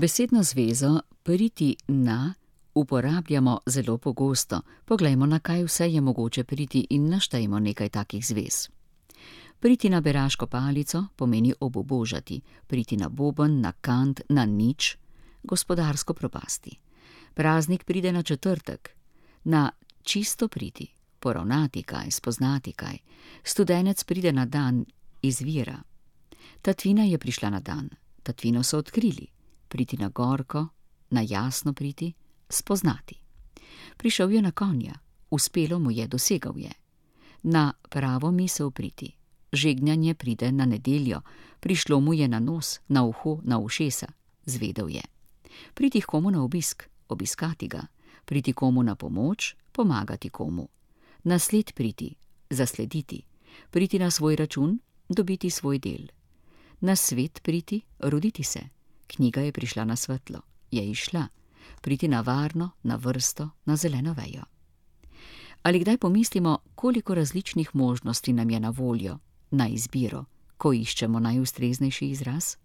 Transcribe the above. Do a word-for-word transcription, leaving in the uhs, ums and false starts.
Besedno zvezo priti na uporabljamo zelo pogosto. Poglejmo, na kaj vse je mogoče priti in naštejmo nekaj takih zvez. Priti na beraško palico pomeni obubožati, priti na boben, na kant, na nič, gospodarsko propasti. Praznik pride na četrtek, na čisto priti, poravnati kaj, spoznati kaj. Studenec pride na dan izvira. Tatvina je prišla na dan, tatvino so odkrili. Priti na gorko, na jasno priti, spoznati. Prišel je na konja, uspelo mu je, dosegal je. Na pravo misel priti. Žegnanje pride na nedeljo, prišlo mu je na nos, na uho, na ušesa, zvedel je. Priti komu na obisk, obiskati ga. Priti komu na pomoč, pomagati komu. Na sled priti, zaslediti. Priti na svoj račun, dobiti svoj del. Na svet priti, roditi se. Knjiga je prišla na svetlo, je izšla. Priti na varno, na vrsto, na zeleno vejo. Ali kdaj pomislimo, koliko različnih možnosti nam je na voljo, na izbiro, ko iščemo najustreznejši izraz?